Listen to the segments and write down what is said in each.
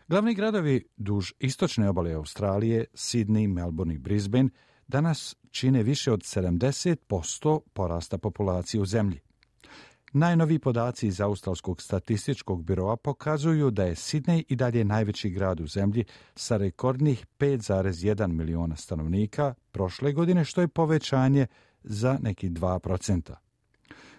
Glavni gradovi duž istočne obale Australije, Sydney, Melbourne i Brisbane, danas čine više od 70% porasta populacije u zemlji. Najnoviji podaci iz Australskog statističkog biroa pokazuju da je Sydney i dalje najveći grad u zemlji sa rekordnih 5,1 miliona stanovnika prošle godine, što je povećanje za neki 2%.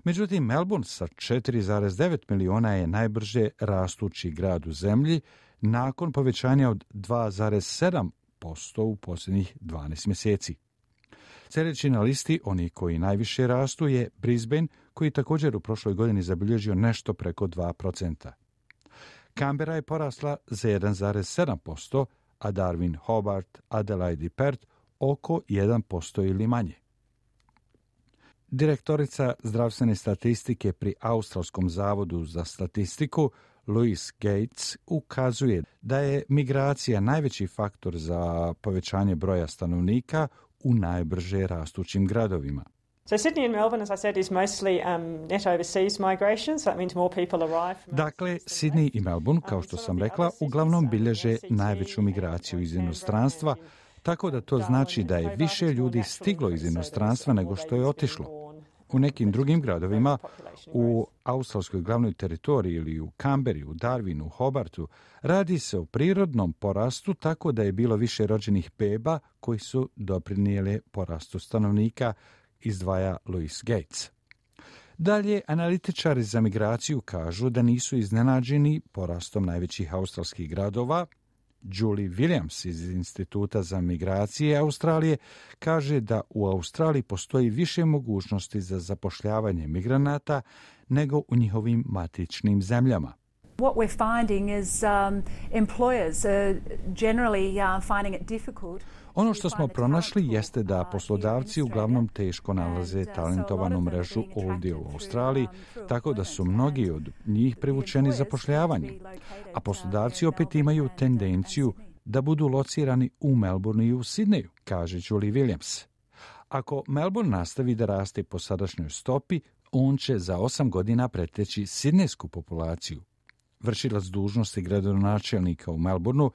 Međutim, Melbourne sa 4,9 miliona je najbrže rastući grad u zemlji nakon povećanja od 2,7% u posljednjih 12 mjeseci. Sljedeći na listi, oni koji najviše rastu, je Brisbane, koji također u prošloj godini zabilježio nešto preko 2%. Canberra je porasla za 1,7%, a Darwin, Hobart, Adelaide i Perth oko 1% ili manje. Direktorica zdravstvene statistike pri Australskom zavodu za statistiku, Louise Gates, ukazuje da je migracija najveći faktor za povećanje broja stanovnika u najbrže rastućim gradovima. So Sydney and Melbourne, as I said, is mostly net overseas migration, so that means more people arrive from... Dakle, Sydney i Melbourne, kao što sam rekla, uglavnom bilježe najveću migraciju iz inostranstva, tako da to znači da je više ljudi stiglo iz inostranstva nego što je otišlo. U nekim drugim gradovima, u australskoj glavnoj teritoriji ili u Canberri, u Darwinu, u Hobartu, radi se o prirodnom porastu, tako da je bilo više rođenih beba koji su doprinijeli porastu stanovnika, izdvaja Louise Gates. Dalje, analitičari za migraciju kažu da nisu iznenađeni porastom najvećih australskih gradova. Julie Williams iz Instituta za migracije Australije kaže da u Australiji postoji više mogućnosti za zapošljavanje migranata nego u njihovim matičnim zemljama. What we're finding is employers are generally finding it difficult. Ono što smo pronašli jeste da poslodavci uglavnom teško nalaze talentovanu mrežu ovdje u Australiji, tako da su mnogi od njih privučeni zapošljavanjem. A poslodavci opet imaju tendenciju da budu locirani u Melbourneu i u Sydneyu, kaže Julie Williams. Ako Melbourne nastavi da raste po sadašnjoj stopi, on će za 8 godina preteći sidnejsku populaciju. Vršilac dužnosti gradonačelnika u Melbourneu,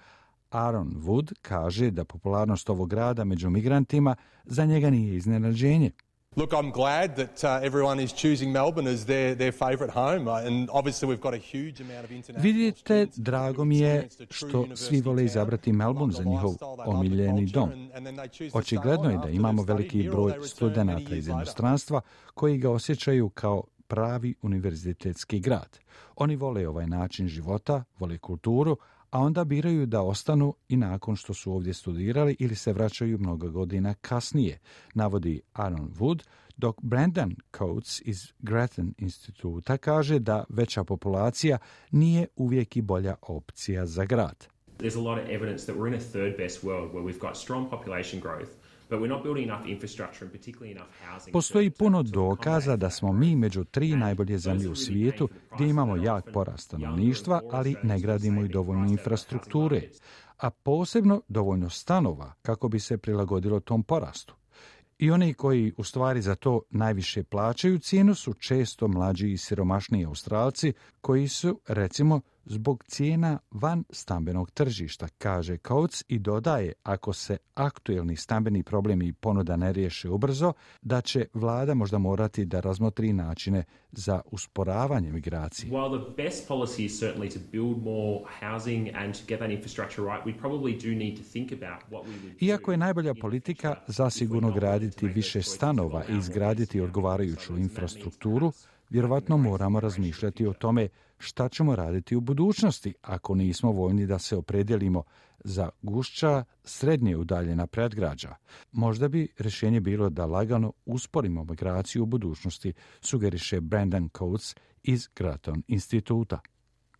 Aaron Wood, kaže da popularnost ovog grada među migrantima za njega nije iznenađenje. Look, I'm glad that everyone is choosing Melbourne as their favorite home, and obviously we've got a huge amount of international... Vidite, drago mi je što svi vole izabrati Melbourne za njihov omiljeni dom. Očigledno je da imamo veliki broj studenata iz inostranstva koji ga osjećaju kao pravi univerzitetski grad. Oni vole ovaj način života, vole kulturu, a onda biraju da ostanu i nakon što su ovdje studirali ili se vraćaju mnogo godina kasnije, navodi Aaron Wood, dok Brandon Coates iz Grattan instituta kaže da veća populacija nije uvijek i bolja opcija za grad. There's a lot of evidence that we're in a third best world where we've got strong population growth. Postoji puno dokaza da smo mi među 3 najbolje zemlje u svijetu gdje imamo jak porast stanovništva, ali ne gradimo i dovoljno infrastrukture, a posebno dovoljno stanova kako bi se prilagodilo tom porastu. I oni koji u stvari za to najviše plaćaju cijenu su često mlađi i siromašniji Australci koji su, recimo, zbog cijena van stambenog tržišta, kaže Coates i dodaje, ako se aktuelni stambeni problemi i ponuda ne riješe ubrzo, da će vlada možda morati da razmotri načine za usporavanje migracije. While the best policy is certainly to build more housing and to get that infrastructure right, we probably do need to think about what we would do. Iako je najbolja politika zasigurno graditi više stanova i izgraditi odgovarajuću infrastrukturu, vjerovatno moramo razmišljati o tome šta ćemo raditi u budućnosti ako nismo voljni da se opredijelimo za gušća, srednje udaljena predgrađa. Možda bi rješenje bilo da lagano usporimo migraciju u budućnosti, sugeriše Brandon Coates iz Grattan instituta.